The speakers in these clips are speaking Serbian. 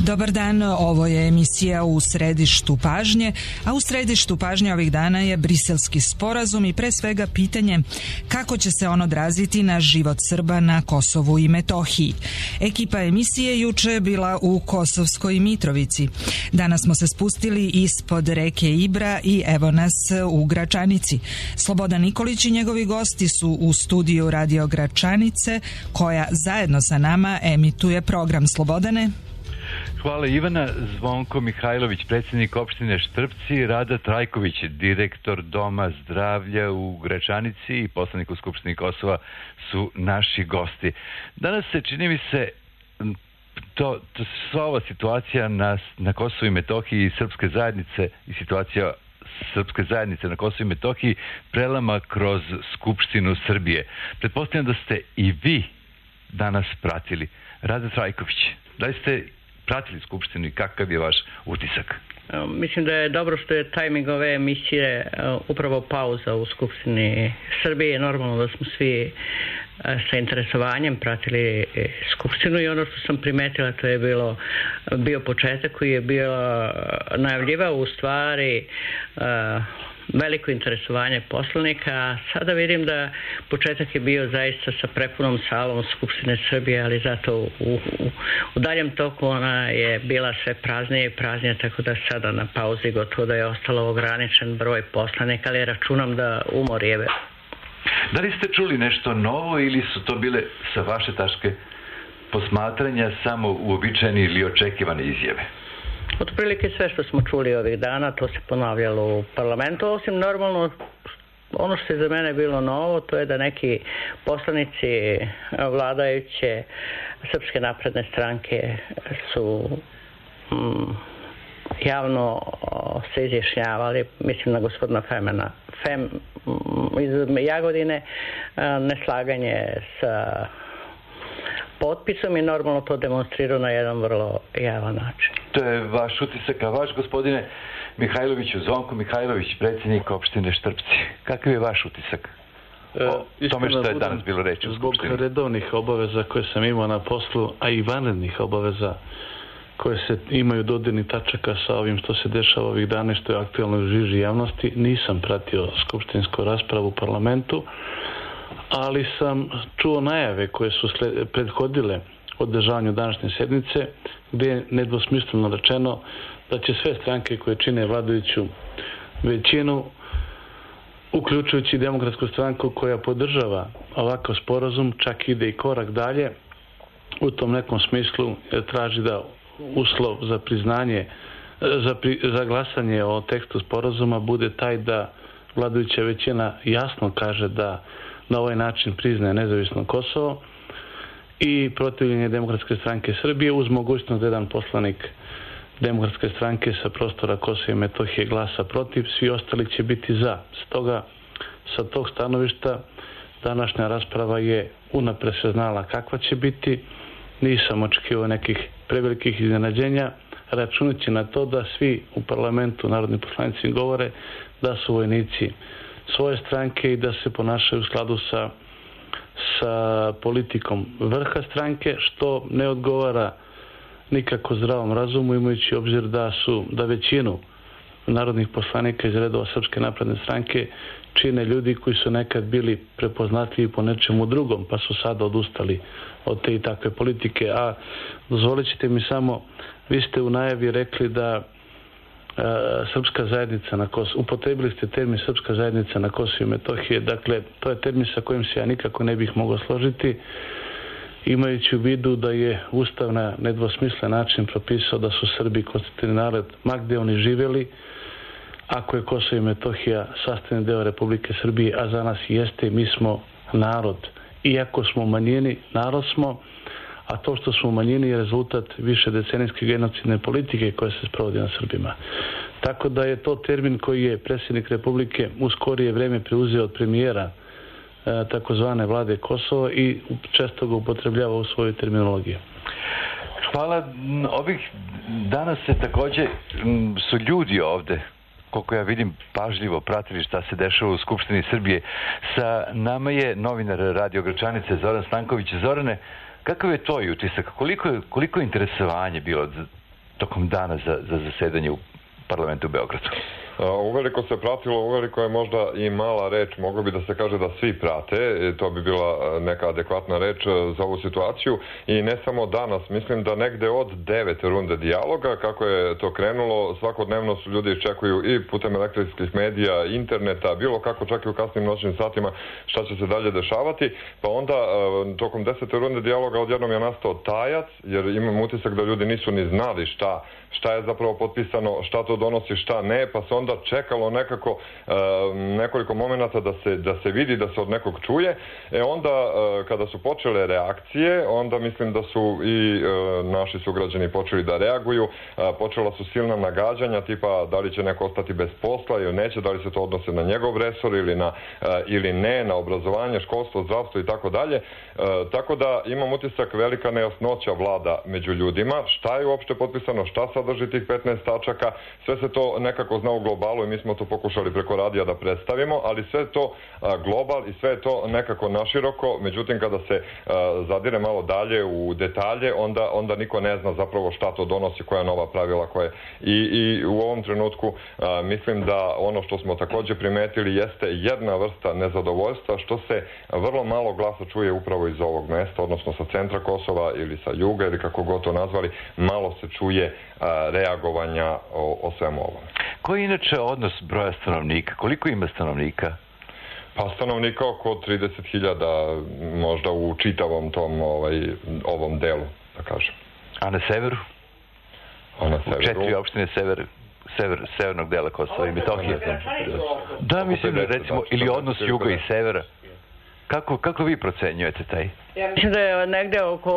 Dobar dan, ovo je emisija U središtu pažnje, a u središtu pažnje ovih dana je Briselski sporazum i pre svega pitanje kako će se on odraziti na život Srba na Kosovu i Metohiji. Ekipa emisije juče je bila u Kosovskoj Mitrovici. Danas smo se spustili ispod reke Ibra i evo nas u Gračanici. Slobodan Nikolić i njegovi gosti su u studiju Radio Gračanice, koja zajedno sa nama emituje program. Slobodane. Hvala Ivana. Zvonko Mihajlović, predsjednik opštine Štrpci, Rada Trajković, direktor Doma zdravlja u Gračanici i poslanik u Skupštini Kosova su naši gosti. Danas se, čini mi se, sva ova situacija na Kosovu i Metohiji i srpske zajednice i situacija srpske zajednice na Kosovu i Metohiji prelama kroz Skupštinu Srbije. Pretpostavljam da ste i vi danas pratili. Rada Trajković, da li ste pratili Skupštinu i kakav je vaš utisak? Mislim da je dobro što je tajming ove emisije upravo pauza u Skupštini Srbije. Normalno da smo svi sa interesovanjem pratili Skupštinu i ono što sam primetila, to je bio početak koji je bio najavljivao u stvari veliko interesovanje poslanika. Sada vidim da početak je bio zaista sa prepunom salom Skupštine Srbije, ali zato u daljem toku ona je bila sve praznije i praznije, tako da sada na pauzi gotovo da je ostalo ograničen broj poslanika, ali računam da umor je. Da li ste čuli nešto novo ili su to bile sa vaše tačke posmatranja samo uobičajene ili očekivane izjave? Otprilike sve što smo čuli ovih dana, to se ponavljalo u parlamentu, osim normalno ono što je za mene bilo novo, to je da neki poslanici vladajuće Srpske napredne stranke su javno se izjašnjavali, mislim na gospodina Femena, iz Jagodine, neslaganje sa potpisom i normalno to demonstrirao na jedan vrlo javan način. To je vaš utisak, a vaš, gospodine Mihajloviću, Zvonko Mihajlović, predsjednik opštine Štrpci. Kakav je vaš utisak o tome što je danas bilo reći u Skupštini? Zbog redovnih obaveza koje sam imao na poslu, a i vanrednih obaveza koje se imaju dodirnih tačaka sa ovim što se dešava ovih dana, što je aktualno u žiži javnosti, nisam pratio skupštinsku raspravu u parlamentu, ali sam čuo najave koje su prethodile održavanju današnje sednice, gdje je nedvosmisleno rečeno da će sve stranke koje čine vladajuću većinu, uključujući Demokratsku stranku koja podržava ovakav sporazum, čak ide i korak dalje, u tom nekom smislu traži da uslov za priznanje, za glasanje o tekstu sporazuma bude taj da vladajuća većina jasno kaže da na ovaj način priznaje nezavisno Kosovo i protivljenje Demokratske stranke Srbije uz mogućnost da jedan poslanik Demokratske stranke sa prostora Kosova i Metohije glasa protiv, svi ostali će biti za. Stoga, sa tog stanovišta, današnja rasprava je unapred se znala kakva će biti. Nisam očekivao nekih prevelikih iznenađenja, računajući na to da svi u parlamentu, narodni poslanici, govore da su vojnici svoje stranke i da se ponašaju u skladu sa politikom vrha stranke, što ne odgovara nikako zdravom razumu, imajući obzir da većinu narodnih poslanika iz redova Srpske napredne stranke čine ljudi koji su nekad bili prepoznatljivi po nečemu drugom, pa su sada odustali od te i takve politike. A dozvolit ćete mi samo, vi ste u najavi rekli da Srpska zajednica na Kosovu, upotrebili ste termin Srpska zajednica na Kosovu i Metohije, dakle to je termin sa kojim se ja nikako ne bih mogao složiti, imajući u vidu da je Ustav na nedvosmislen način propisao da su Srbi konstitutivni narod ma gde oni živjeli, ako je Kosovo i Metohija sastavni deo Republike Srbije, a za nas jeste, mi smo narod. Iako smo u manjini, narod smo, a to što smo u manjini je rezultat više decenijske genocidne politike koja se sprovodi na Srbima. Tako da je to termin koji je predsjednik Republike u skorije vreme preuzeo od premijera takozvane vlade Kosova i često ga upotrebljava u svojoj terminologiji. Hvala. Ovih danas se također su ljudi ovde, koliko ja vidim, pažljivo pratili šta se dešava u Skupštini Srbije. Sa nama je novinar Radio Gračanice Zoran Stanković. Zorane, kakav je tvoj utisak? Koliko je interesovanje bilo tokom dana za zasedanje u parlamentu u Beogradu? Uveliko se pratilo, uveliko je možda i mala reč, moglo bi da se kaže da svi prate, to bi bila neka adekvatna reč za ovu situaciju i ne samo danas, mislim da negde od 9 runde dijaloga, kako je to krenulo, svakodnevno su ljudi čekuju i putem elektronskih medija, interneta, bilo kako čak i u kasnim noćnim satima šta će se dalje dešavati, pa onda tokom 10. runde dijaloga odjednom je nastao tajac, jer imam utisak da ljudi nisu ni znali šta je zapravo potpisano, šta to donosi, šta ne, pa se onda čekalo nekako nekoliko momenata da se vidi, da se od nekog čuje. Onda kada su počele reakcije, onda mislim da su i naši sugrađani počeli da reaguju, počela su silna nagađanja, tipa da li će neko ostati bez posla ili neće, da li se to odnose na njegov resor ili ne, na obrazovanje, školstvo, zdravstvo i tako dalje. Tako da imam utisak velika nejasnoća vlada među ljudima, šta je uopšte potpisano, šta sadrži tih 15 tačaka, sve se to nekako zna u globalu i mi smo to pokušali preko radija da predstavimo, ali sve to global i sve je to nekako naširoko, međutim kada se zadire malo dalje u detalje, onda niko ne zna zapravo šta to donosi, koja nova pravila, i u ovom trenutku mislim da ono što smo takođe primetili jeste jedna vrsta nezadovoljstva, što se vrlo malo glasa čuje upravo iz ovog mesta, odnosno sa centra Kosova ili sa juga ili kako god to nazvali, malo se čuje reagovanja o svemu ovom. Koji je inače odnos broja stanovnika? Koliko ima stanovnika? Pa stanovnika oko 30.000 možda u čitavom tom ovom delu, da kažem. A na severu? A na severu? U 4 opštine severnog dela Kosova i Metohije. Da, mislim, recimo, ili odnos juga i severa. Kako vi procenjujete taj? Ja mislim da je negde oko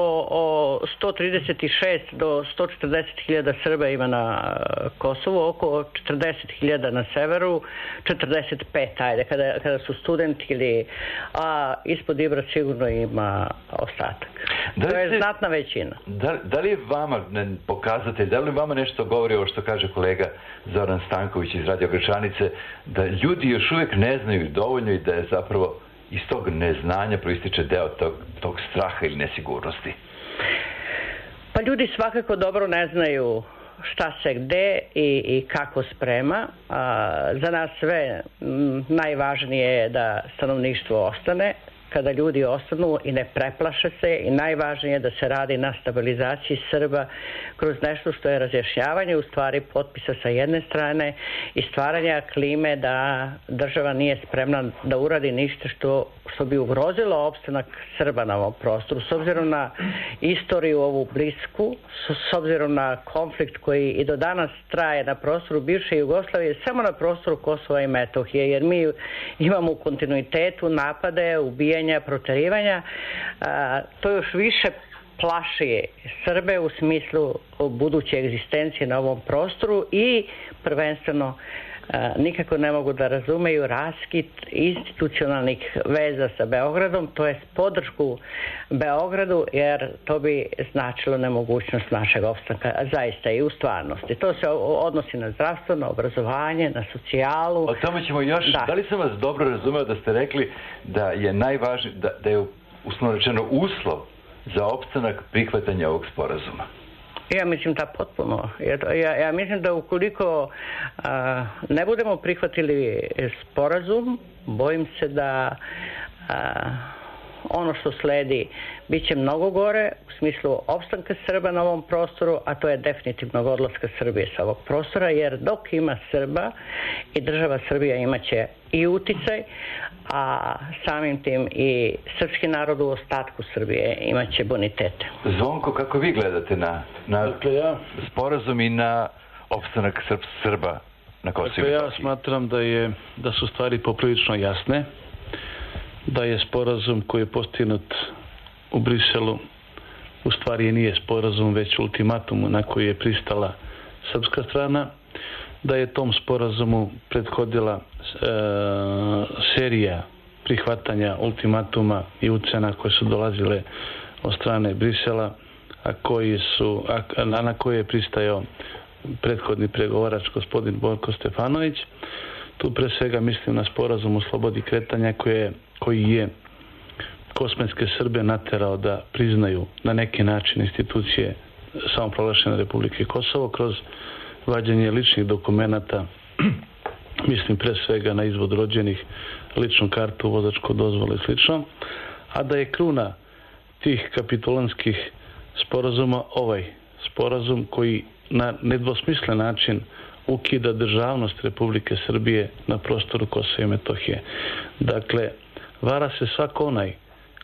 136 do 140.000 Srba ima na Kosovu, oko 40.000 na severu, 45, ajde, kada su studenti a ispod Ibra sigurno ima ostatak. To je znatna većina. Da li je vama pokazatelj, da li vama nešto govori ovo što kaže kolega Zoran Stanković iz Radio Gračanice, da ljudi još uvijek ne znaju dovoljno i da je zapravo iz tog neznanja proističe deo tog straha ili nesigurnosti? Pa ljudi svakako dobro ne znaju šta se gde i kako sprema. Za nas sve najvažnije je da stanovništvo ostane. Kada ljudi ostanu i ne preplaše se, i najvažnije je da se radi na stabilizaciji Srba kroz nešto što je razjašnjavanje u stvari potpisa sa jedne strane i stvaranja klime da država nije spremna da uradi ništa što bi ugrozilo opstanak Srba na ovom prostoru. S obzirom na istoriju ovu blisku, s obzirom na konflikt koji i do danas traje na prostoru bivše Jugoslavije, samo na prostoru Kosova i Metohije, jer mi imamo u kontinuitetu napade, ubijanja, proterivanja, to još više plaši Srbe u smislu buduće egzistencije na ovom prostoru i prvenstveno nikako ne mogu da razumeju raskid institucionalnih veza sa Beogradom, to je podršku Beogradu, jer to bi značilo nemogućnost našeg opstanka, zaista i u stvarnosti. To se odnosi na zdravstvo, na obrazovanje, na socijalu. O tome ćemo još. Da li sam vas dobro razumeo da ste rekli da je najvažnije, da je uslovno rečeno uslov za opstanak prihvatanja ovog sporazuma? Ja mislim da potpuno. Ja mislim da ukoliko ne budemo prihvatili sporazum, bojim se da ono što sledi bit će mnogo gore u smislu opstanka Srba na ovom prostoru, a to je definitivno odlaska Srbije sa ovog prostora, jer dok ima Srba i država Srbija imaće i uticaj, a samim tim i srpski narod u ostatku Srbije imaće bonitete. Zvonko, kako vi gledate na sporazum i na opstanak Srba na Kosovu? Ja smatram da su stvari poprilično jasne, da je sporazum koji je postignut u Briselu u stvari nije sporazum, već ultimatum na koji je pristala srpska strana, da je tom sporazumu prethodila serija prihvatanja ultimatuma i ucena koje su dolazile od strane Brisela, na koje je pristajao prethodni pregovarač gospodin Borko Stefanović. Tu pre svega mislim na sporazum o slobodi kretanja koji je kosmetske Srbe naterao da priznaju na neki način institucije samoproglašene Republike Kosovo kroz vađenje ličnih dokumenata, mislim pre svega na izvod rođenih, ličnu kartu, vozačku dozvolu i slično, a da je kruna tih kapitulantskih sporazuma ovaj sporazum koji na nedvosmislen način ukida državnost Republike Srbije na prostoru Kosova i Metohije. Dakle, vara se svako onaj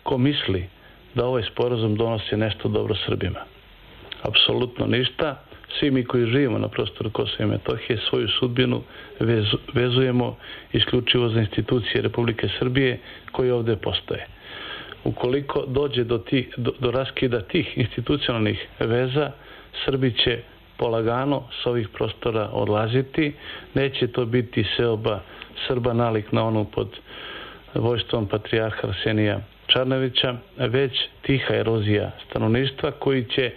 ko misli da ovaj sporazum donosi nešto dobro Srbima. Apsolutno ništa. Svi mi koji živimo na prostoru Kosova i Metohije svoju sudbinu vezujemo isključivo za institucije Republike Srbije koje ovdje postoje. Ukoliko dođe do raskida tih institucionalnih veza, Srbi će polagano s ovih prostora odlaziti. Neće to biti seoba Srba nalik na onu pod vojstvom patrijarha Arsenija Čarnevića, već tiha erozija stanovništva koji će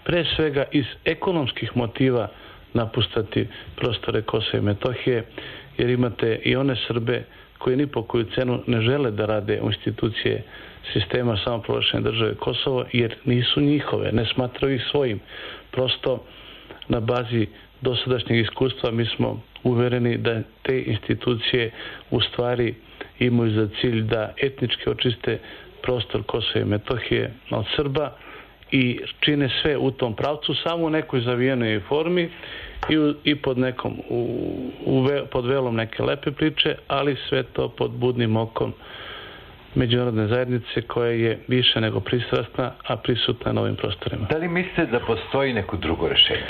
pre svega iz ekonomskih motiva napustati prostore Kosova i Metohije, jer imate i one Srbe koji ni po koju cenu ne žele da rade u institucije sistema samoproglašene države Kosovo, jer nisu njihove, ne smatraju ih svojim. Prosto na bazi dosadašnjeg iskustva mi smo uvereni da te institucije u stvari imaju za cilj da etnički očiste prostor Kosova i Metohije od Srba i čine sve u tom pravcu, samo u nekoj zavijenoj formi i pod nekom pod velom neke lepe priče, ali sve to pod budnim okom međunarodne zajednice koja je više nego pristrasna, a prisutna na ovim prostorima. Da li mislite da postoji neko drugo rešenje?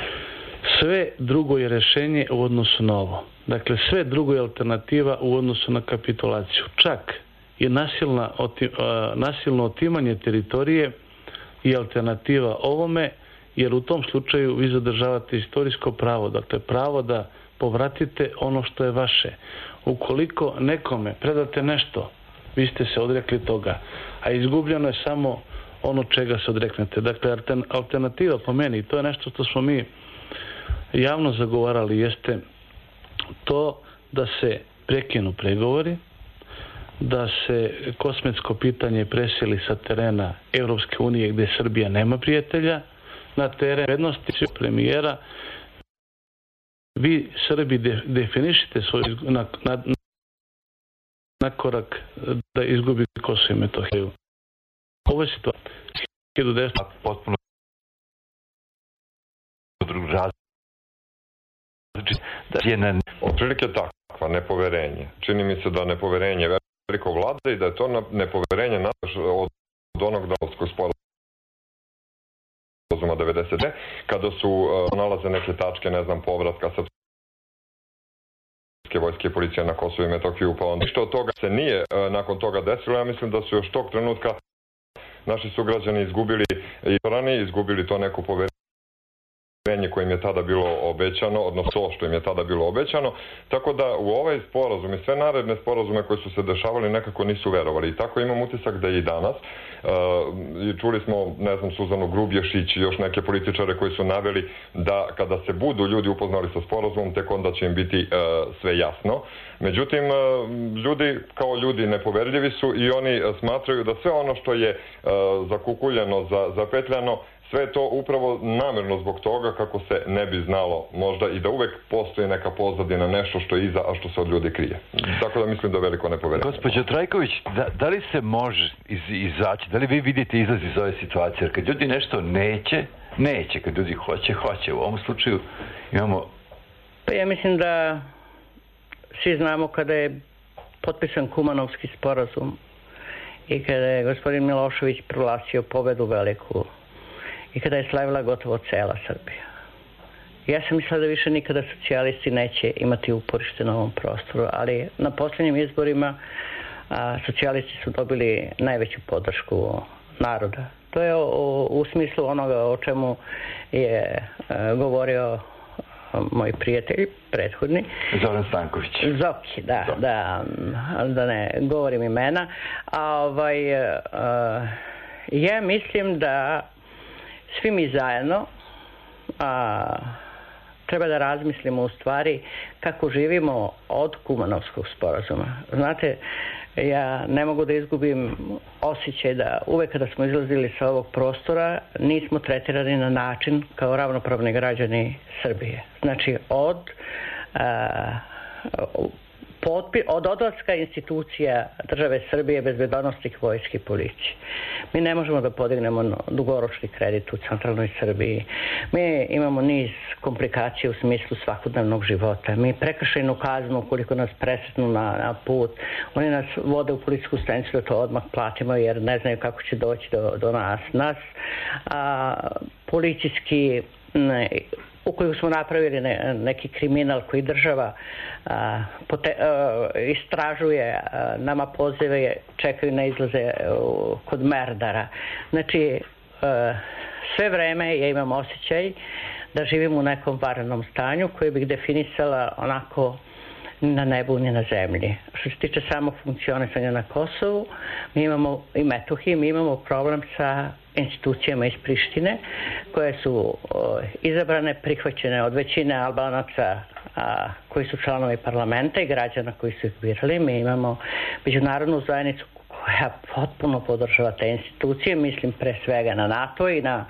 Sve drugo je rešenje u odnosu na ovo. Dakle, sve drugo je alternativa u odnosu na kapitulaciju. Čak i nasilno otimanje teritorije i alternativa ovome, jer u tom slučaju vi zadržavate istorijsko pravo, dakle pravo da povratite ono što je vaše. Ukoliko nekome predate nešto, vi ste se odrekli toga, a izgubljeno je samo ono čega se odreknete. Dakle, alternativa po meni, to je nešto što smo mi javno zagovarali, jeste to da se prekinu pregovori, da se kosmetsko pitanje preseli sa terena Europske unije gdje Srbija nema prijatelja, na teren prednosti premijera. Vi Srbi definišite svoj na korak da izgubi Kosovo i Metohiju. Ovo je situacija. Potpuno drugi različit. Da je na otprilike takva nepoverenje. Čini mi se da nepoverenje veliko vlada i da je to nepoverenje od onog Daytonskog sporazuma 90. kada su nalaze neke tačke, ne znam, povratka srpske vojske i policije na Kosovo i Metohiju, pa onda što od toga se nije nakon toga desilo. Ja mislim da su još tog trenutka naši sugrađani izgubili to neko poverenje koje im je tada bilo obećano, odnosno to što im je tada bilo obećano, tako da u ovaj sporazum i sve naredne sporazume koji su se dešavali nekako nisu verovali. I tako imam utisak da i danas. I čuli smo, ne znam, Suzanu Grubješić i još neke političare koji su naveli da kada se budu ljudi upoznali sa sporazumom, tek onda će im biti sve jasno. Međutim, ljudi kao ljudi nepoverljivi su i oni smatraju da sve ono što je zakukuljeno, zapetljano, sve je to upravo namjerno zbog toga kako se ne bi znalo možda i da uvek postoji neka pozadina, nešto što je iza, a što se od ljudi krije. Tako da mislim da je veliko nepoverenje. Gospođo Trajković, da li se može izaći, da li vi vidite izlaz iz ove situacije? Jer kad ljudi nešto neće, kad ljudi hoće. U ovom slučaju imamo... Pa ja mislim da svi znamo kada je potpisan Kumanovski sporazum i kada je gospodin Milošević proglasio pobedu veliku i kada je slavila gotovo cela Srbija. Ja sam mislila da više nikada socijalisti neće imati uporište na ovom prostoru, ali na posljednjim izborima socijalisti su dobili najveću podršku naroda. To je u smislu onoga o čemu je govorio moj prijatelj, prethodni. Zoran Stanković. Zoki, da ne govorim imena. Ja mislim da svi mi zajedno treba da razmislimo u stvari kako živimo od Kumanovskog sporazuma. Znate, ja ne mogu da izgubim osjećaj da uvek kada smo izlazili sa ovog prostora nismo tretirani na način kao ravnopravni građani Srbije. Znači od odlaska institucija države Srbije, bezbednosnih vojske i policije. Mi ne možemo da podignemo dugoročni kredit u centralnoj Srbiji. Mi imamo niz komplikacija u smislu svakodnevnog života. Mi prekršajnu kaznu, ukoliko nas presretnu na put, oni nas vode u policijsku stanicu da to odmah platimo jer ne znaju kako će doći do nas. Policijski ukoliko smo napravili neki kriminal koji država istražuje, nama pozive, čekaju na izlaze kod merdara. Znači, sve vreme ja imam osjećaj da živim u nekom vanrednom stanju koje bih definisala onako na nebu ni na zemlji. Što se tiče samo funkcionisanja na Kosovu i Metohiji, mi imamo problem sa institucijama iz Prištine koje su izabrane, prihvaćene od većine Albanaca koji su članovi parlamenta i građana koji su ih birali. Mi imamo međunarodnu zajednicu koja potpuno podržava te institucije, mislim pre svega na NATO i na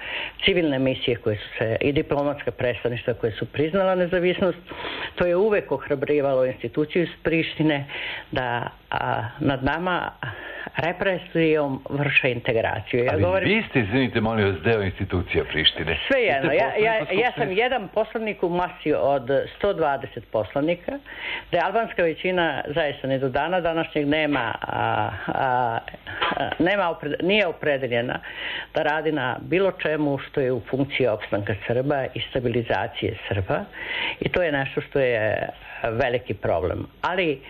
civilne misije koje su se, i diplomatska predstavništva koje su priznala nezavisnost. To je uvek ohrabrivalo instituciju iz Prištine da nad nama represijom vrše integraciju. Vi ste, izvinite, molim vas, deo institucija Prištine. Sve jedno. Ja sam jedan poslanik u masi od 120 poslanika, da je albanska većina zaista ni do dana današnjeg nije opredeljena da radi na bilo čemu što je u funkciji opstanka Srba i stabilizacije Srba. I to je nešto što je veliki problem. Ali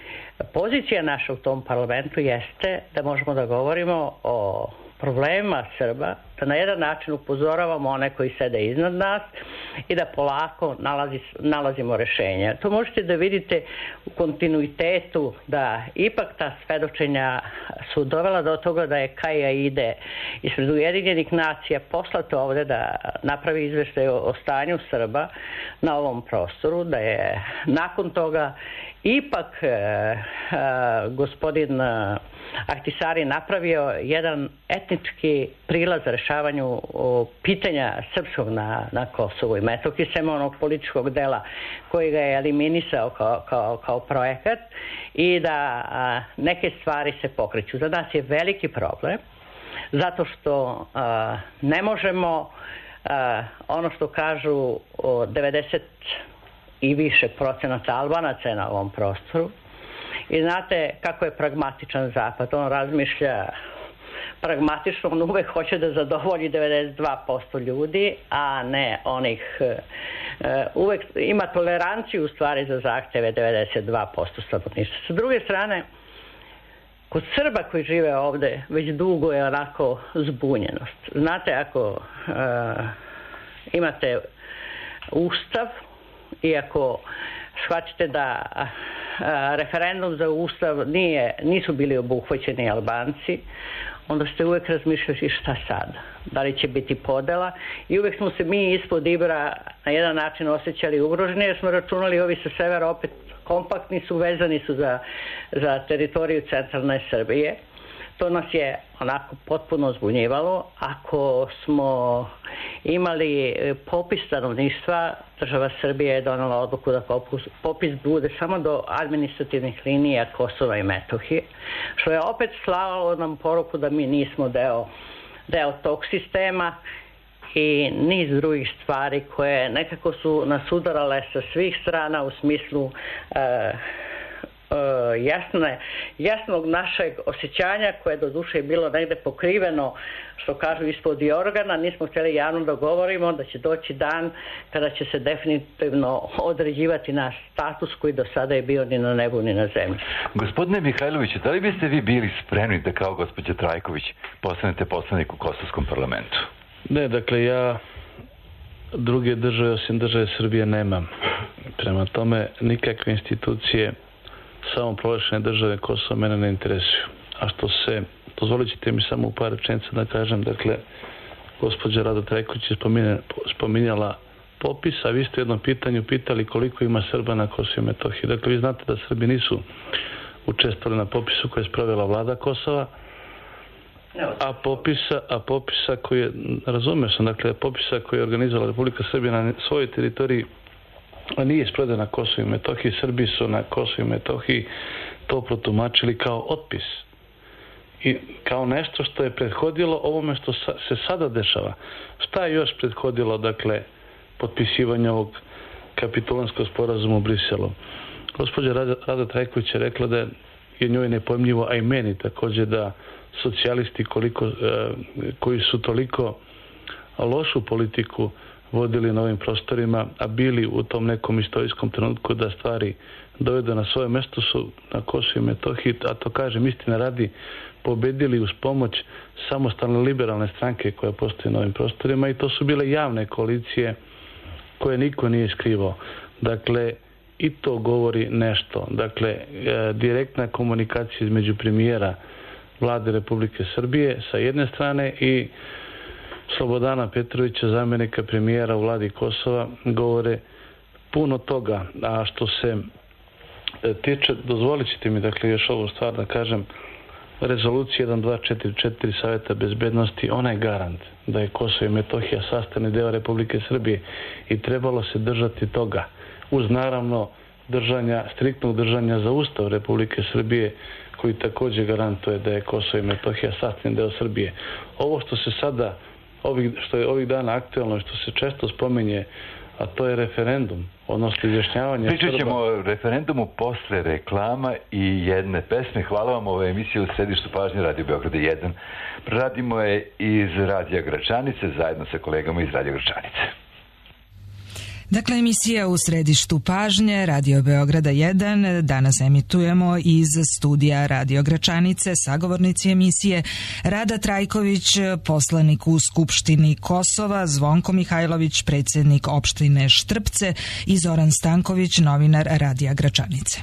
pozicija naša u tom parlamentu jeste da možemo da govorimo o problemima Srba, da na jedan način upozoravamo one koji sede iznad nas i da polako nalazimo rešenja. To možete da vidite u kontinuitetu da ipak ta svedočenja su dovela do toga da je Kaja Ide ispred Ujedinjenih nacija poslato ovde da napravi izveštaj o stanju Srba na ovom prostoru, da je nakon toga ipak gospodin Ahtisari napravio jedan etnički prilaz rešavanju pitanja srpskog na Kosovu i Metohiji, sem onog političkog dela koji ga je eliminisao kao projekat, i da neke stvari se pokreću. Za nas je veliki problem zato što ne možemo ono što kažu 90 i više procenata Albanaca je na ovom prostoru. I znate kako je pragmatičan Zapad. On razmišlja pragmatično, on uvek hoće da zadovolji 92% ljudi, a ne onih... Uvek ima toleranciju u stvari za zahteve 92% stanovništva. Sa druge strane, kod Srba koji žive ovde već dugo je onako zbunjenost. Znate, ako imate ustav i ako shvatite da referendum za ustav nisu bili obuhvaćeni Albanci, onda ste uvek razmišljali šta sada, da li će biti podela, i uvek smo se mi ispod Ibra na jedan način osjećali ugroženi jer smo računali ovi sa severa opet kompaktni su, vezani su za teritoriju centralne Srbije. To nas je onako potpuno zbunjivalo. Ako smo imali popis stanovništva, država Srbije je donela odluku da popis bude samo do administrativnih linija Kosova i Metohije, što je opet slalo nam poruku da mi nismo deo tog sistema, i niz drugih stvari koje nekako su nas udarale sa svih strana u smislu jasnog našeg osjećanja, koje do duše je bilo negde pokriveno, što kažu, ispod jorgana. Nismo htjeli javno da govorimo da će doći dan kada će se definitivno određivati naš status koji do sada je bio ni na nebu ni na zemlji. Gospodine Mihajloviću, da li biste vi bili spremni da kao gospođa Trajković postanete poslanik u Kosovskom parlamentu? Ne, dakle, ja druge države osim države Srbije nemam. Prema tome, nikakve institucije samo proglašene države Kosova mene ne interesuju. A što se, dozvolit ćete mi samo u par rečenica da kažem, dakle, gospođa Rada Trajković je spominjala popis, a vi ste u jednom pitanju pitali koliko ima Srba na Kosovu i Metohiji. Dakle, vi znate da Srbi nisu učestvovali na popisu koje je sprovela vlada Kosova, a popisa koji je, razumio sam, dakle, popisa koji je organizovala Republika Srbija na svojoj teritoriji, a nije sproveden na Kosovu i Metohiji. Srbi su na Kosovu i Metohiji to protumačili kao otpis i kao nešto što je prethodilo ovome što se sada dešava. Šta je još prethodilo, dakle, potpisivanje ovog kapitulanskog sporazuma u Briselu? Gospođa Rada Trajković je rekla da je njoj nepojmljivo, a i meni također, da socijalisti koji su toliko lošu politiku vodili na ovim prostorima, a bili u tom nekom istorijskom trenutku da stvari dovedu na svoje mesto, su na Kosovu i Metohiji, a to kažem istina radi, pobedili uz pomoć samostalne liberalne stranke koja postoji na ovim prostorima, i to su bile javne koalicije koje niko nije skrivao. Dakle, i to govori nešto. Dakle, direktna komunikacija između premijera Vlade Republike Srbije sa jedne strane i Slobodana Petrovića, zamjenika premijera u vladi Kosova, govore puno toga. A što se tiče, dozvolit ćete mi, dakle, još ovu stvar da kažem, rezolucija 1244 Saveta bezbednosti, ona je garant da je Kosovo i Metohija sastavni deo Republike Srbije i trebalo se držati toga, uz naravno striktnog držanja za Ustav Republike Srbije, koji također garantuje da je Kosovo i Metohija sastavni deo Srbije. Ovo što se sada, što je ovih dana aktualno i što se često spominje, a to je referendum, odnosno izjašnjavanje Srba. Pričat ćemo o referendumu posle reklama i jedne pesme. Hvala vam, ovo je emisija u središtu pažnje Radio Beograda 1. Radimo je iz Radija Gračanice zajedno sa kolegama iz Radija Gračanice. Dakle, emisija u središtu pažnje Radio Beograda 1. Danas emitujemo iz studija Radio Gračanice. Sagovornici emisije Rada Trajković, poslanik u Skupštini Kosova, Zvonko Mihajlović, predsjednik opštine Štrpce, i Zoran Stanković, novinar Radija Gračanice.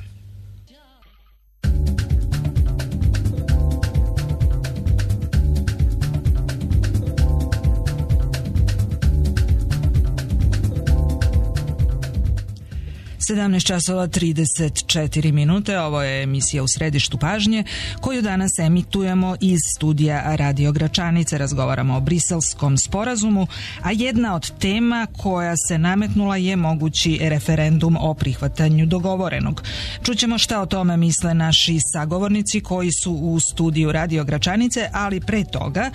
17:34. Ovo je emisija u središtu pažnje koju danas emitujemo iz studija Radio Gračanice. Razgovaramo o Briselskom sporazumu, a jedna od tema koja se nametnula je mogući referendum o prihvatanju dogovorenog. Čućemo šta o tome misle naši sagovornici koji su u studiju Radio Gračanice, ali pre toga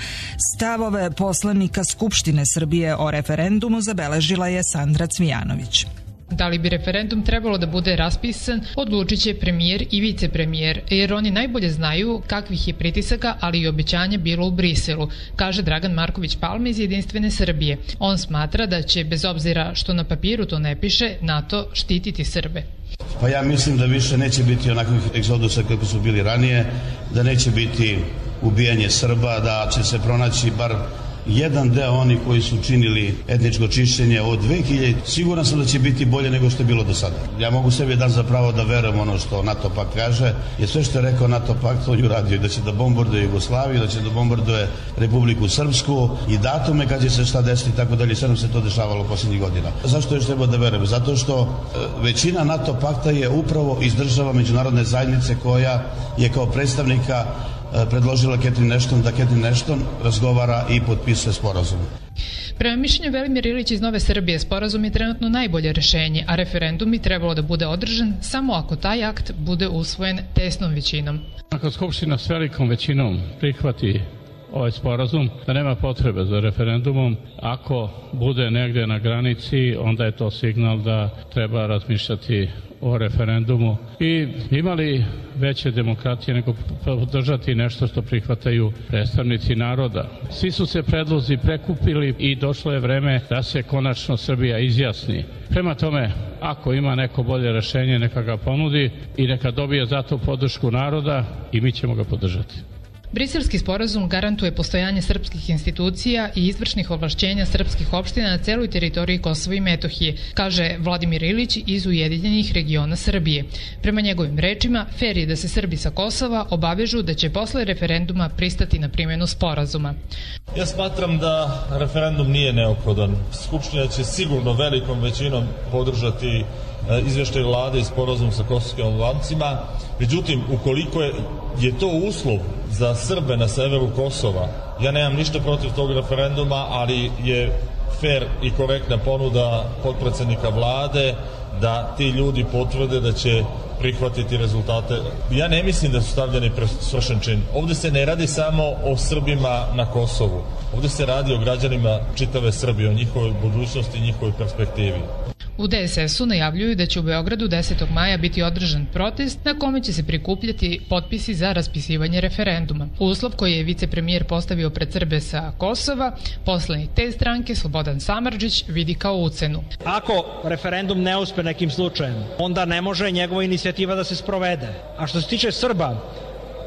stavove poslanika Skupštine Srbije o referendumu zabeležila je Sandra Cvijanović. Da li bi referendum trebalo da bude raspisan, odlučit će premijer i vicepremijer, jer oni najbolje znaju kakvih je pritisaka, ali i obećanja bilo u Briselu, kaže Dragan Marković Palma iz Jedinstvene Srbije. On smatra da će, bez obzira što na papiru to ne piše, NATO štititi Srbe. Pa ja mislim da više neće biti onakvih egzodusa kako su bili ranije, da neće biti ubijanje Srba, da će se pronaći bar jedan deo oni koji su činili etničko čišćenje od 2000. Siguran sam da će biti bolje nego što je bilo do sada. Ja mogu sebi dan za pravo da verujem ono što NATO pakt kaže, jer sve što je rekao NATO pakt on je uradio, da će da bombarduje Jugoslaviju, da će da bombarduje Republiku Srpsku i datume kad će se šta desiti i tako dalje. Sve nam se to dešavalo posljednjih godina. Zašto još treba da verujem? Zato što većina NATO pakta je upravo iz država međunarodne zajednice koja je kao predstavnika predložila Catherine Ashton da Catherine Ashton razgovara i potpisuje sporazum. Prema mišljenju Velimir Ilić iz Nove Srbije, sporazum je trenutno najbolje rešenje, a referendum bi trebalo da bude održan samo ako taj akt bude usvojen tesnom većinom. Ako Skupština s velikom većinom prihvati ovaj sporazum, da nema potrebe za referendumom, ako bude negde na granici, onda je to signal da treba razmišljati o referendumu i imali veće demokratije nego podržati nešto što prihvataju predstavnici naroda. Svi su se predlozi prekupili i došlo je vreme da se konačno Srbija izjasni. Prema tome, ako ima neko bolje rešenje, neka ga ponudi i neka dobije za to podršku naroda i mi ćemo ga podržati. Briselski sporazum garantuje postojanje srpskih institucija i izvršnih ovlašćenja srpskih opština na celoj teritoriji Kosova i Metohije, kaže Vladimir Ilić iz Ujedinjenih regiona Srbije. Prema njegovim rečima, fer je da se Srbi sa Kosova obavežu da će posle referenduma pristati na primjenu sporazuma. Ja smatram da referendum nije neophodan. Skupština će sigurno velikom većinom podržati izveštaj vlade i sporazum sa kosovskim Albancima. Međutim, ukoliko je to uslov za Srbe na severu Kosova, ja nemam ništa protiv tog referenduma, ali je fer i korektna ponuda potpredsednika vlade da ti ljudi potvrde da će prihvatiti rezultate. Ja ne mislim da su stavljeni pred svršen čin. Ovde se ne radi samo o Srbima na Kosovu. Ovde se radi o građanima čitave Srbije, o njihovoj budućnosti i njihovoj perspektivi. U DSS-u najavljuju da će u Beogradu 10. maja biti održan protest na kome će se prikupljati potpisi za raspisivanje referenduma. Uslov koji je vicepremijer postavio pred Srbe sa Kosova, poslanik te stranke Slobodan Samardžić vidi kao ucenu. Ako referendum ne uspe nekim slučajem, onda ne može njegova inicijativa da se sprovede. A što se tiče Srba,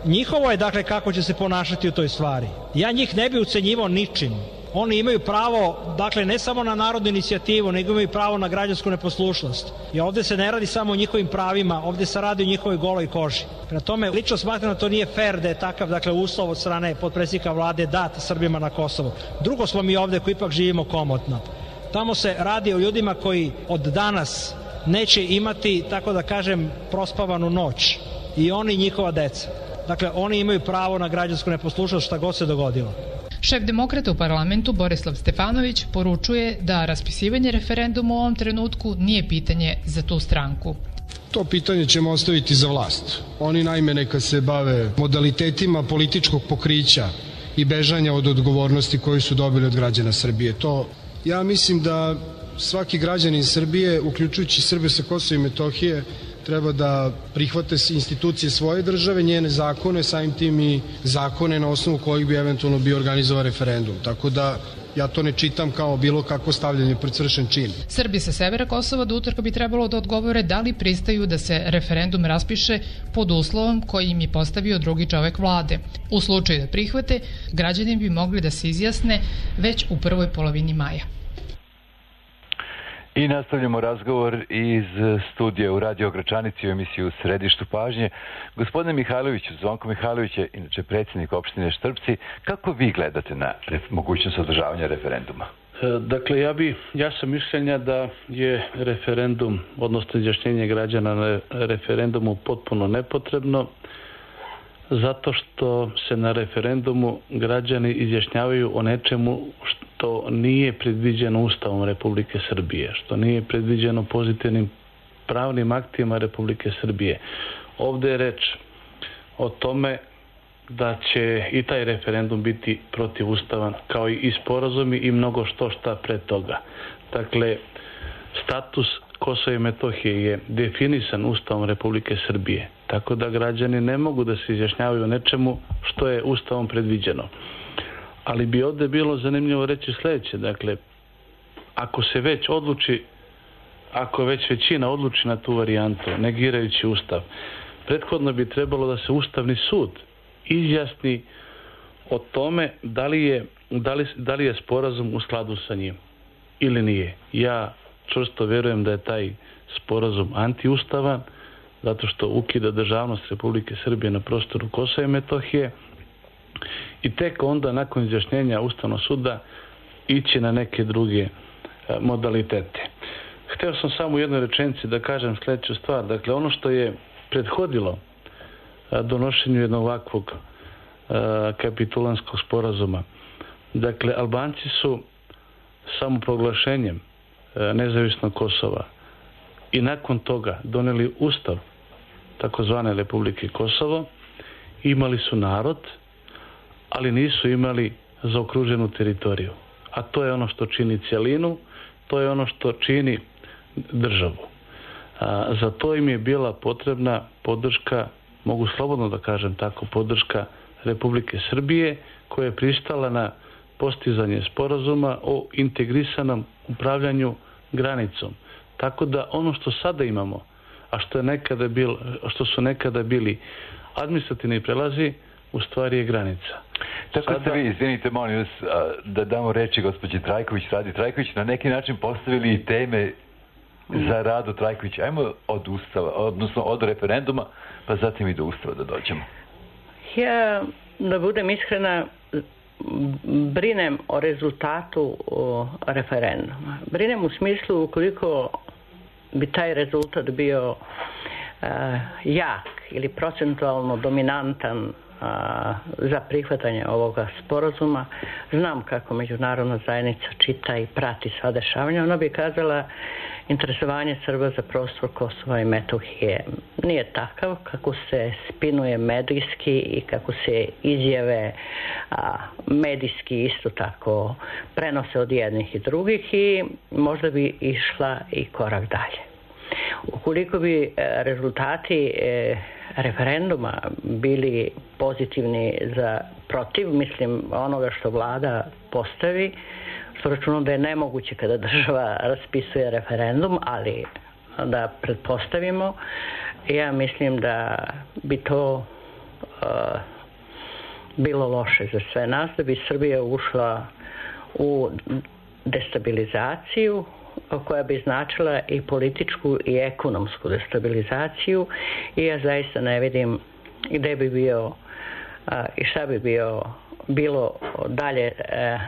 njihovo je dakle kako će se ponašati u toj stvari. Ja njih ne bi ucenjivao ničim. Oni imaju pravo, dakle, ne samo na narodnu inicijativu, nego imaju pravo na građansku neposlušnost. I ovde se ne radi samo o njihovim pravima, ovde se radi o njihovoj goloj koži. Prema tome, lično smatram da to nije fair da je takav, dakle, uslov od strane potpredsjednika vlade dat Srbima na Kosovu. Drugo smo mi ovde koji ipak živimo komotno. Tamo se radi o ljudima koji od danas neće imati, tako da kažem, prospavanu noć. I oni i njihova deca. Dakle, oni imaju pravo na građansku neposlušnost šta god se dogodilo. Šef demokrata u parlamentu Borislav Stefanović poručuje da raspisivanje referenduma u ovom trenutku nije pitanje za tu stranku. To pitanje ćemo ostaviti za vlast. Oni naime neka se bave modalitetima političkog pokrića i bežanja od odgovornosti koju su dobili od građana Srbije. Ja mislim da svaki građanin Srbije, uključujući Srbe sa Kosova i Metohije, treba da prihvate institucije svoje države, njene zakone, samim tim i zakone na osnovu kojih bi eventualno bio organizovan referendum. Tako da ja to ne čitam kao bilo kakvo stavljanje pred svršen čin. Srbi sa severa Kosova do utorka bi trebalo da odgovore da li pristaju da se referendum raspiše pod uslovom koji im je postavio drugi čovek vlade. U slučaju da prihvate, građani bi mogli da se izjasne već u prvoj polovini maja. I nastavljamo razgovor iz studija u Radio Gračanici u emisiju Središtu pažnje. Gospodine Mihajloviću, Zvonko Mihajlović je inače predsjednik opštine Štrpci. Kako vi gledate na mogućnost održavanja referenduma? Dakle, ja sam mišljenja da je referendum, odnosno izjašnjenje građana na referendumu potpuno nepotrebno, zato što se na referendumu građani izjašnjavaju o nečemu što nije predviđeno Ustavom Republike Srbije, što nije predviđeno pozitivnim pravnim aktima Republike Srbije. Ovde je reč o tome da će i taj referendum biti protivustavan, kao i sporazumi i mnogo šta pre toga. Dakle, status Kosova i Metohije je definisan Ustavom Republike Srbije, tako da građani ne mogu da se izjašnjavaju o nečemu što je Ustavom predviđeno. Ali bi ovde bilo zanimljivo reći sledeće, dakle, ako već većina odluči na tu varijantu, negirajući Ustav, prethodno bi trebalo da se Ustavni sud izjasni o tome da li je sporazum u skladu sa njim ili nije. Ja čvrsto verujem da je taj sporazum antiustavan, zato što ukida državnost Republike Srbije na prostoru Kosova i Metohije i tek onda nakon izjašnjenja Ustavnog suda ići na neke druge modalitete. Hteo sam samo u jednoj rečenici da kažem sledeću stvar. Dakle, ono što je prethodilo donošenju jednog ovakvog kapitulanskog sporazuma, dakle, Albanci su samoproglašenjem nezavisnog Kosova i nakon toga doneli Ustav takozvane Republike Kosovo, imali su narod, ali nisu imali zaokruženu teritoriju. A to je ono što čini cjelinu, to je ono što čini državu. Za to im je bila potrebna podrška, mogu slobodno da kažem tako, podrška Republike Srbije, koja je pristala na postizanje sporazuma o integrisanom upravljanju granicom. Tako da ono što sada imamo, a što su nekada bili administrativni prelazi, u stvari je granica. Tako ste vi, izvinite, molim vas, da damo reči gospođi Trajković, Radi Trajković, na neki način postavili i teme za Radu Trajković. Ajmo od Ustava, odnosno od referenduma, pa zatim i do Ustava da dođemo. Ja, da budem iskrena, brinem o rezultatu referenduma. Brinem u smislu ukoliko bi taj rezultat bio jak ili procentualno dominantan za prihvatanje ovoga sporazuma. Znam kako međunarodna zajednica čita i prati sva dešavanja. Ona bi kazala interesovanje Srba za prostor Kosova i Metohije nije takav kako se spinuje medijski i kako se izjave medijski isto tako prenose od jednih i drugih i možda bi išla i korak dalje. Ukoliko bi rezultati referenduma bili pozitivni za protiv, mislim, onoga što vlada postavi, što računam da je nemoguće kada država raspisuje referendum, ali da pretpostavimo, ja mislim da bi to bilo loše za sve nas, da bi Srbija ušla u destabilizaciju koja bi značila i političku i ekonomsku destabilizaciju i ja zaista ne vidim gde bi bio i šta bi bilo dalje,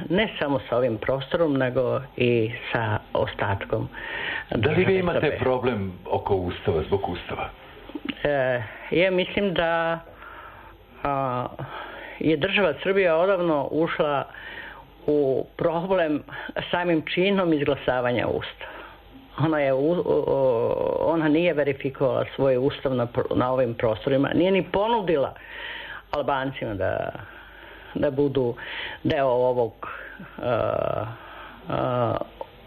ne samo sa ovim prostorom, nego i sa ostatkom. Da li vi imate problem oko Ustava, zbog Ustava? Ja mislim da je država Srbija odavno ušla u problem samim činom izglasavanja Ustava. Ona nije verifikovala svoj Ustav na ovim prostorima, nije ni ponudila Albancima da budu deo ovog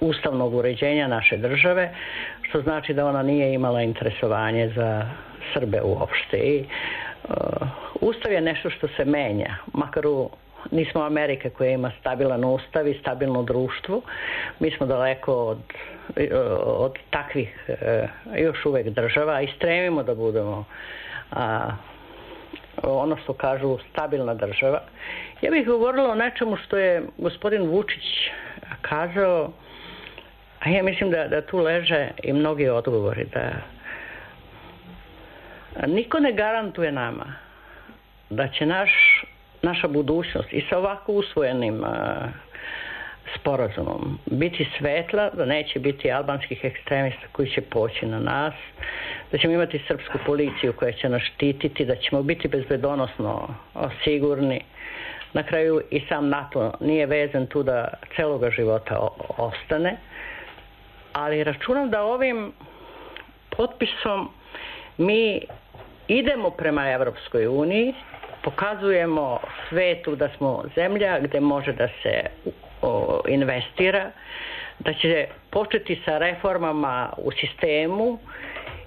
ustavnog uređenja naše države, što znači da ona nije imala interesovanje za Srbe uopšte. I Ustav je nešto što se menja, makar nismo Amerika koja ima stabilan ustav i stabilno društvo. Mi smo daleko od takvih još uvek država i stremimo da budemo ono što kažu stabilna država. Ja bih govorila o nečemu što je gospodin Vučić kazao, a ja mislim da tu leže i mnogi odgovori, da niko ne garantuje nama da će naša budućnost i sa ovako usvojenim sporazumom biti svetla, da neće biti albanskih ekstremista koji će poći na nas, da ćemo imati srpsku policiju koja će nas štititi, da ćemo biti bezbedonosno sigurni. Na kraju i sam NATO nije vezan tu da celoga života ostane, ali računam da ovim potpisom mi idemo prema Evropskoj uniji, pokazujemo svetu da smo zemlja gde može da se investira, da će početi sa reformama u sistemu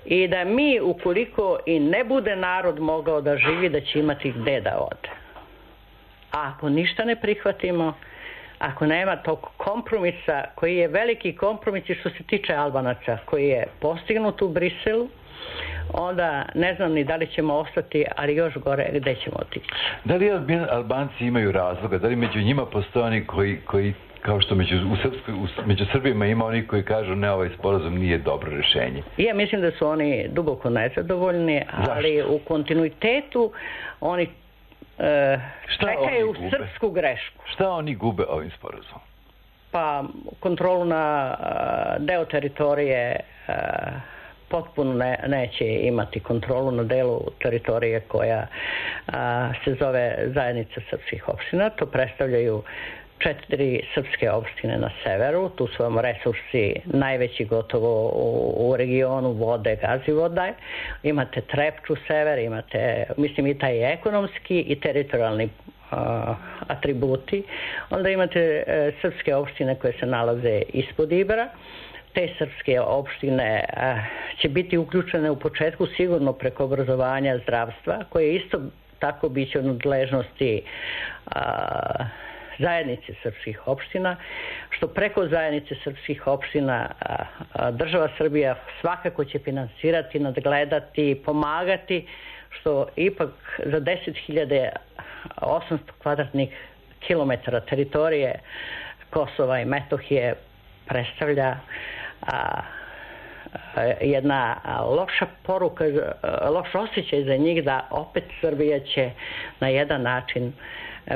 i da mi, ukoliko i ne bude narod mogao da živi, da će imati gde da ode. A ako ništa ne prihvatimo, ako nema tog kompromisa, koji je veliki kompromis i što se tiče Albanaca, koji je postignut u Briselu, onda ne znam ni da li ćemo ostati, ali još gore gde ćemo otići. Da li Albanci imaju razloga? Da li među njima postoje oni koji kao što među Srbima ima oni koji kažu ne, ovaj sporazum nije dobro rešenje? Ja mislim da su oni duboko nezadovoljni, ali u kontinuitetu oni čekaju srpsku grešku. Šta oni gube ovim sporazumom? Pa kontrolu na deo teritorije, potpuno neće imati kontrolu na delu teritorije koja se zove Zajednica srpskih opština. To predstavljaju 4 srpske opštine na severu. Tu su vam resursi najveći gotovo u regionu vode, gazivoda. Imate Trepču sever, imate, mislim, i taj ekonomski i teritorijalni atributi. Onda imate srpske opštine koje se nalaze ispod Ibra. Te srpske opštine će biti uključene u početku sigurno preko obrazovanja, zdravstva, koje isto tako biće od nadležnosti zajednice srpskih opština, što preko zajednice srpskih opština država Srbija svakako će finansirati, nadgledati, pomagati, što ipak za 10.800 kvadratnih kilometara teritorije Kosova i Metohije predstavlja jedna loša poruka, loš osjećaj za njih da opet Srbija će na jedan način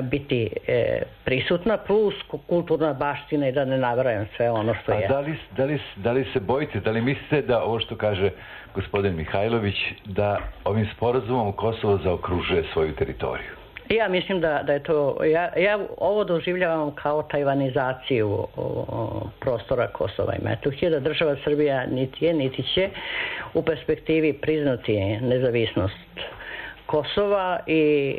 biti prisutna, plus kulturna baština i da ne nabrajam sve ono što je. A da li se bojite, da li mislite da ovo što kaže gospodin Mihajlović, da ovim sporazumom Kosovo zaokružuje svoju teritoriju? Ja mislim da je to, ja ovo doživljavam kao tajvanizaciju prostora Kosova i Metohije, da država Srbija niti je, niti će u perspektivi priznati nezavisnost Kosova i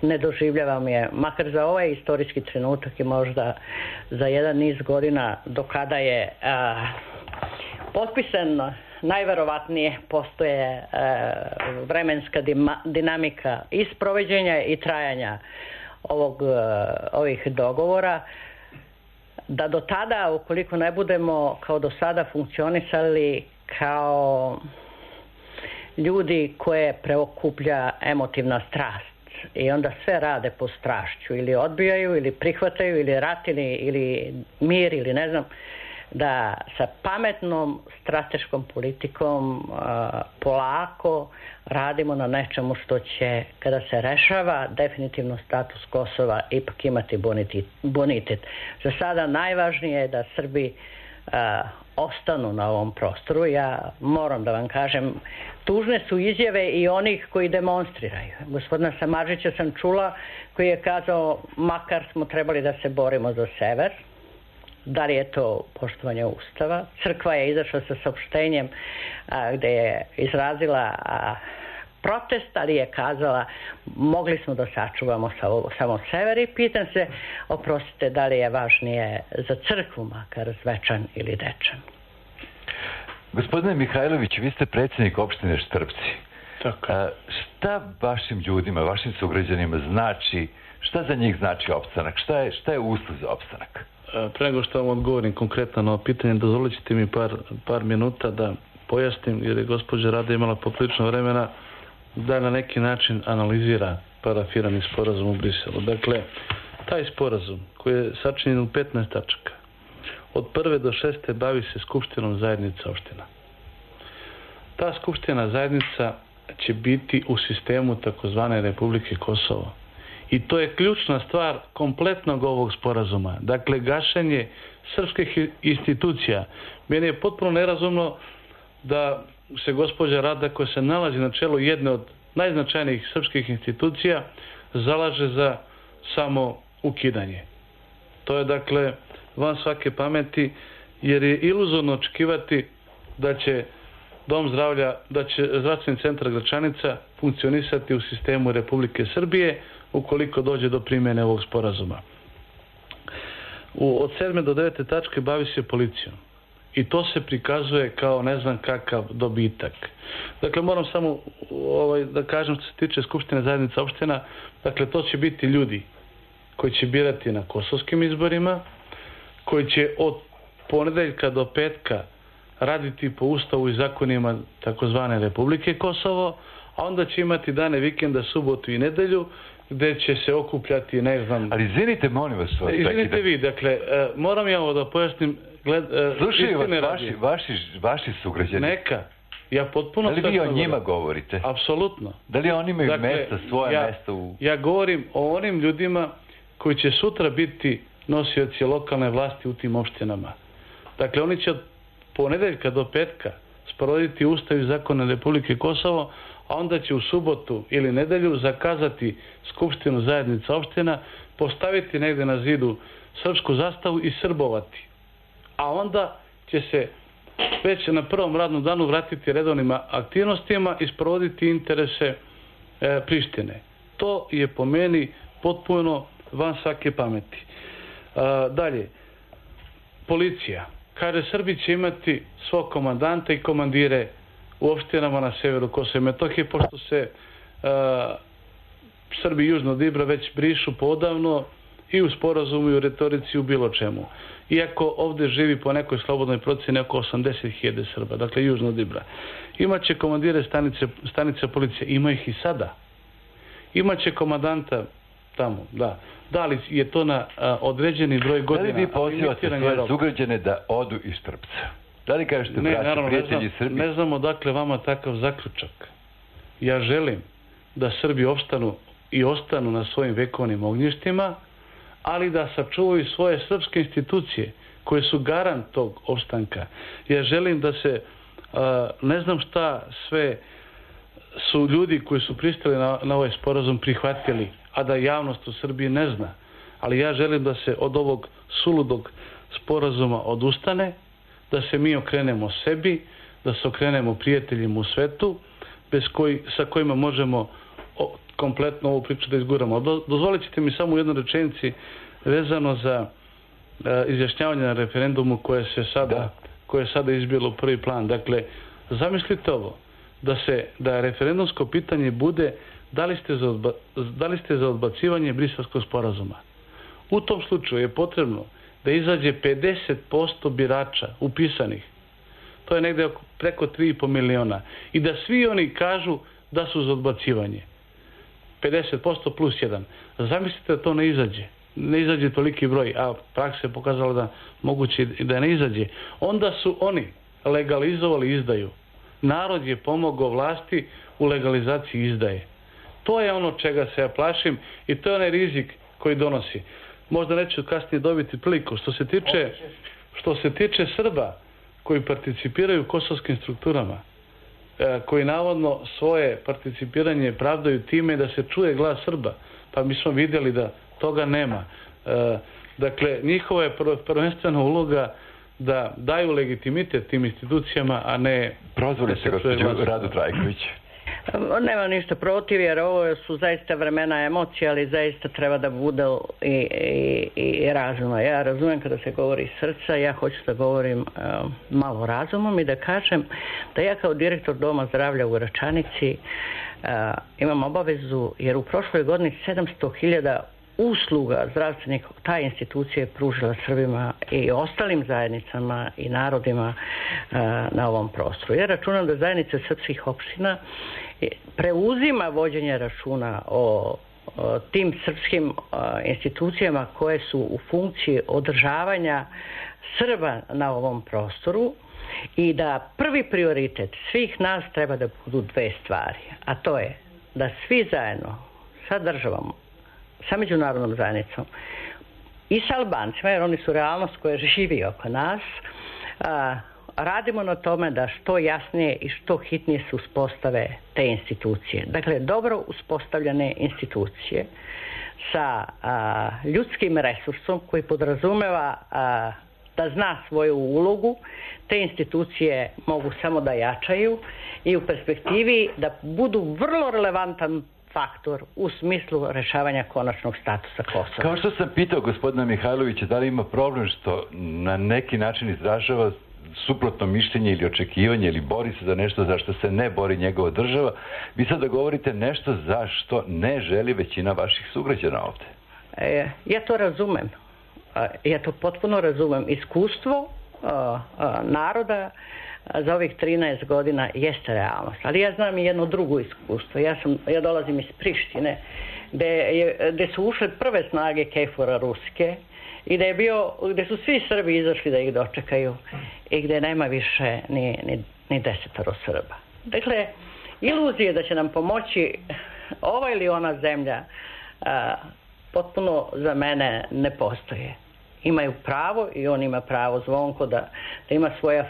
ne doživljavam je, makar za ovaj istorijski trenutak i možda za jedan niz godina do kada je potpisan, najverovatnije postoje vremenska dinamika i sprovođenja i trajanja ovih dogovora, da do tada, ukoliko ne budemo kao do sada funkcionisali kao ljudi koje preokuplja emotivna strast i onda sve rade po strašću, ili odbijaju, ili prihvataju, ili rat, ili mir, ili ne znam, da sa pametnom strateškom politikom polako radimo na nečemu što će, kada se rešava definitivno status Kosova, ipak imati bonitet. Za sada najvažnije je da Srbi ostanu na ovom prostoru. Ja moram da vam kažem, tužne su izjave i onih koji demonstriraju. Gospodina Samardžića sam čula koji je kazao makar smo trebali da se borimo za sever. Da li je to poštovanje Ustava? Crkva je izašla sa saopštenjem gde je izrazila protest, ali je kazala mogli smo da sačuvamo samo sever i pitam se, oprostite, da li je važnije za crkvu makar Zvečan ili Dečan? Gospodine Mihajlović, vi ste predsjednik opštine Štrpci. Tako. Šta vašim ljudima, vašim sugrađanima znači, šta za njih znači opstanak? Šta je uslov za opstanak? Pre nego što vam odgovorim konkretno na ovo pitanje, dozvolite mi par minuta da pojasnim, jer je gospođa Rada imala poprilično vremena da na neki način analizira parafirani sporazum u Briselu. Dakle, taj sporazum koji je sačinjen u 15 tačaka, od 1. do 6. bavi se Skupštinom zajednica opština. Ta Skupština zajednica će biti u sistemu takozvane Republike Kosovo. I to je ključna stvar kompletnog ovog sporazuma. Dakle, gašenje srpskih institucija. Meni je potpuno nerazumno da se gospođa Rada, koja se nalazi na čelu jedne od najznačajnijih srpskih institucija, zalaže za samo ukidanje. To je, dakle, van svake pameti, jer je iluzorno očekivati da će Dom zdravlja, da će zdravstveni centar Gračanica funkcionisati u sistemu Republike Srbije ukoliko dođe do primjene ovog sporazuma. Od 7. do 9. tačke bavi se policijom. I to se prikazuje kao ne znam kakav dobitak. Dakle, moram samo da kažem što se tiče Skupštine zajednica opština, dakle, to će biti ljudi koji će birati na kosovskim izborima, koji će od ponedeljka do petka raditi po ustavu i zakonima takozvane Republike Kosovo, a onda će imati dane vikenda, subotu i nedelju, gde će se okupljati, ne znam... Ali izvinite, molim vas... Izvinite vi, dakle, moram ja ovo da pojasnim... Slušaju vas vaši sugrađani. Neka. Ja potpuno... Da li vi o njima govorite? Apsolutno. Da li oni imaju mesta, svoje mesta u... Ja govorim o onim ljudima koji će sutra biti nosioci lokalne vlasti u tim opštinama. Dakle, oni će od ponedeljka do petka sprovoditi ustav i zakone Republike Kosovo, a onda će u subotu ili nedelju zakazati Skupštinu zajednica opština, postaviti negde na zidu srpsku zastavu i srbovati. A onda će se već na prvom radnom danu vratiti redovnim aktivnostima i sprovoditi interese Prištine. To je po meni potpuno van svake pameti. Dalje, policija. Kaže, Srbi će imati svog komandanta i komandire u opštinama na severu Kosova i Metohije, pošto se Srbi južno od Ibra već brišu podavno i u sporazumu i u retorici u bilo čemu. Iako ovde živi po nekoj slobodnoj proceni oko 80.000 Srba, dakle južno od Ibra. Imaće komandire stanice policije, ima ih i sada. Imaće komandanta tamo, da. Da li je to na određeni broj godina? Da li vi pozivate svoje sugrađane da odu iz Štrpca? Da li kažete braća, prijatelji Srbije? Ne znam odakle vama takav zaključak. Ja želim da Srbi opstanu i ostanu na svojim vekovnim ognjištima, ali da sačuvaju svoje srpske institucije koje su garant tog opstanka. Ja želim da se, ne znam šta sve su ljudi koji su pristali na ovaj sporazum prihvatili, a da javnost u Srbiji ne zna. Ali ja želim da se od ovog suludog sporazuma odustane, da se mi okrenemo sebi, da se okrenemo prijateljima u svetu, sa kojima možemo kompletno ovu priču da izguramo. Dozvolit ćete mi samo u jednoj rečenici vezano za izjašnjavanje na referendumu koje je sada izbilo u prvi plan. Dakle, zamislite ovo, da referendumsko pitanje bude da li ste za odbacivanje Briselskog sporazuma. U tom slučaju je potrebno da izađe 50% birača upisanih. To je negde preko 3,5 miliona. I da svi oni kažu da su za odbacivanje. 50% plus 1. Zamislite da to ne izađe. Ne izađe toliki broj, a praksa je pokazala da moguće da ne izađe. Onda su oni legalizovali izdaju. Narod je pomogao vlasti u legalizaciji izdaje. To je ono čega se ja plašim i to je onaj rizik koji donosi. Možda neću kasnije dobiti priliku. Što se tiče Srba koji participiraju u kosovskim strukturama, koji navodno svoje participiranje pravdaju time da se čuje glas Srba, pa mi smo vidjeli da toga nema. Dakle, njihova je prvenstvena uloga da daju legitimitet tim institucijama, a ne... Prozvali se gospođu Radu Trajković. Nemam ništa protiv, jer ovo su zaista vremena emocija, ali zaista treba da bude i razuma. Ja razumijem kada se govori iz srca, ja hoću da govorim malo razumom i da kažem da ja kao direktor Doma zdravlja u Račanici imam obavezu, jer u prošloj godini 700.000 usluga zdravstvenih ta institucija je pružila Srbima i ostalim zajednicama i narodima na ovom prostoru. Ja računam da zajednica srpskih opština preuzima vođenje računa o tim srpskim institucijama koje su u funkciji održavanja Srba na ovom prostoru i da prvi prioritet svih nas treba da budu dve stvari, a to je da svi zajedno sa državom, sa međunarodnom zajednicom i sa Albancima, jer oni su realnost koja živi oko nas, radimo na tome da što jasnije i što hitnije se uspostave te institucije. Dakle, dobro uspostavljene institucije sa ljudskim resursom koji podrazumeva da zna svoju ulogu, te institucije mogu samo da jačaju i u perspektivi da budu vrlo relevantan faktor u smislu rešavanja konačnog statusa Kosova. Kao što sam pitao gospodina Mihajlovića, da li ima problem što na neki način izražava suprotno mišljenje ili očekivanje ili bori se za nešto za što se ne bori njegova država, vi sada govorite nešto za što ne želi većina vaših sugrađana ovde. Ja to razumem. Ja to potpuno razumem. Iskustvo naroda za ovih 13 godina jeste realnost. Ali ja znam i jedno drugo iskustvo. Ja dolazim iz Prištine, gde su ušle prve snage KFOR-a ruske i gde su svi Srbi izašli da ih dočekaju i gde nema više ni 10 Srba. Dakle, iluzije da će nam pomoći ova ili ona zemlja potpuno za mene ne postoje. Imaju pravo i on ima pravo, Zvonko, da ima svoj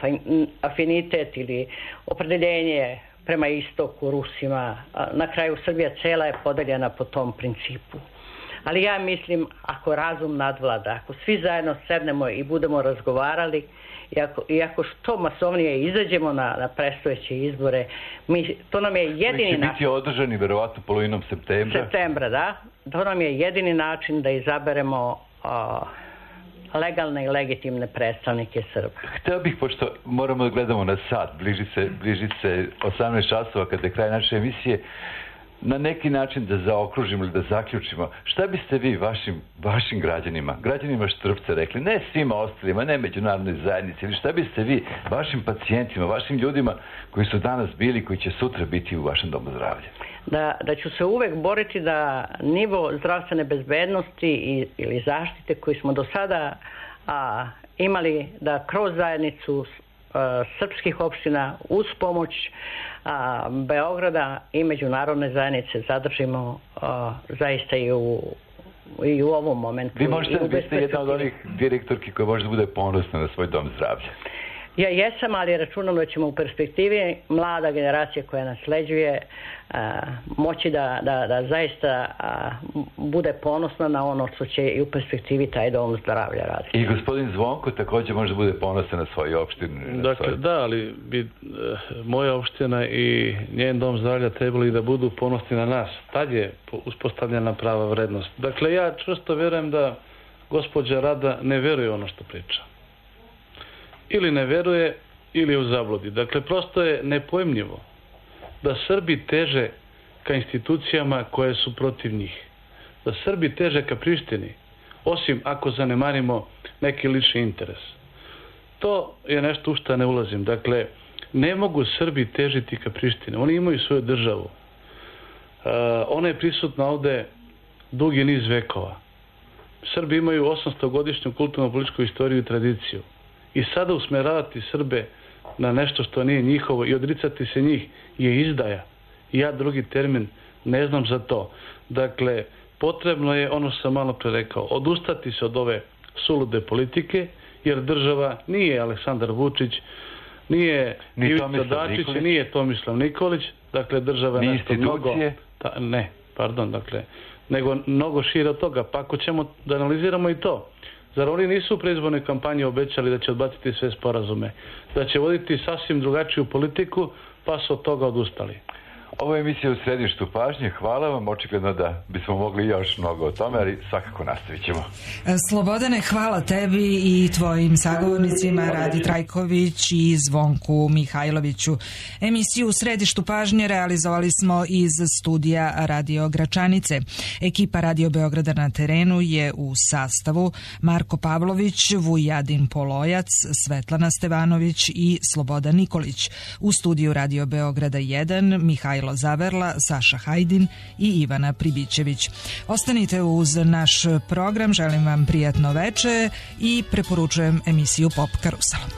afinitet ili opredeljenje prema istoku, Rusima. Na kraju Srbija cela je podeljena po tom principu. Ali ja mislim, ako razum nadvlada, ako svi zajedno sednemo i budemo razgovarali i ako što masovnije izađemo na predstojeće izbore, to nam je jedini način... Koji će biti održani verovatno polovinom septembra. Septembra, da. To nam je jedini način da izaberemo legalne i legitimne predstavnike Srba. Hteo bih, pošto moramo da gledamo na sat, bliži se 18 časova kada je kraj naše emisije, na neki način da zaokružimo ili da zaključimo. Šta biste vi vašim građanima Štrpca rekli, ne svima ostalima, ne međunarodnoj zajednici, ili šta biste vi vašim pacijentima, vašim ljudima koji su danas bili, koji će sutra biti u vašem domu zdravlja? Da ću se uvek boriti da nivo zdravstvene bezbednosti ili zaštite koji smo do sada imali, da kroz zajednicu srpskih opština uz pomoć Beograda i međunarodne zajednice zadržimo zaista i u ovom momentu. Vi ste jedna od onih direktorki koja može da bude ponosna na svoj dom zdravlja. Ja jesam, ali računam da ćemo u perspektivi mlada generacija koja nasleđuje moći da zaista bude ponosna na ono što će i u perspektivi taj dom zdravlja raditi. I gospodin Zvonko također može da bude ponosan na svoju opštinu. Dakle, da, ali bi moja opština i njen dom zdravlja trebali da budu ponosni na nas. Tad je uspostavljena prava vrednost. Dakle, ja čvrsto verujem da gospođa Rada ne veruje ono što priča. Ili ne veruje, ili je u zabludi. Dakle, prosto je nepojmljivo da Srbi teže ka institucijama koje su protiv njih. Da Srbi teže ka Prištini, osim ako zanemarimo neki lični interes. To je nešto u što ne ulazim. Dakle, ne mogu Srbi težiti ka Prištini. Oni imaju svoju državu. Ona je prisutna ovde dugi niz vekova. Srbi imaju 800-godišnju kulturno-političku istoriju i tradiciju. I sada usmeravati Srbe na nešto što nije njihovo i odricati se njih je izdaja. I ja drugi termin ne znam za to. Dakle, potrebno je, ono što sam malo pre rekao, odustati se od ove sulude politike, jer država nije Aleksandar Vučić, nije Ivica Dačić, nije Tomislav Nikolić, dakle država je nešto mnogo... nego mnogo šire od toga. Pa ako ćemo da analiziramo i to, zar oni nisu u predizbornoj kampanji obećali da će odbaciti sve sporazume, da će voditi sasvim drugačiju politiku, pa su od toga odustali? Ovo je emisija u središtu pažnje. Hvala vam, očigledno da bismo mogli još mnogo o tome, ali svakako nastavit ćemo. Slobodane, hvala tebi i tvojim sagovornicima Radi Trajković i Zvonku Mihajloviću. Emisiju u središtu pažnje realizovali smo iz studija Radio Gračanice. Ekipa Radio Beograda na terenu je u sastavu Marko Pavlović, Vujadin Polojac, Svetlana Stevanović i Slobodan Nikolić. U studiju Radio Beograda 1 Mihajlo Zaverla, Saša Hajdin i Ivana Pribićević. Ostanite uz naš program, želim vam prijatno veče i preporučujem emisiju Pop Karusel.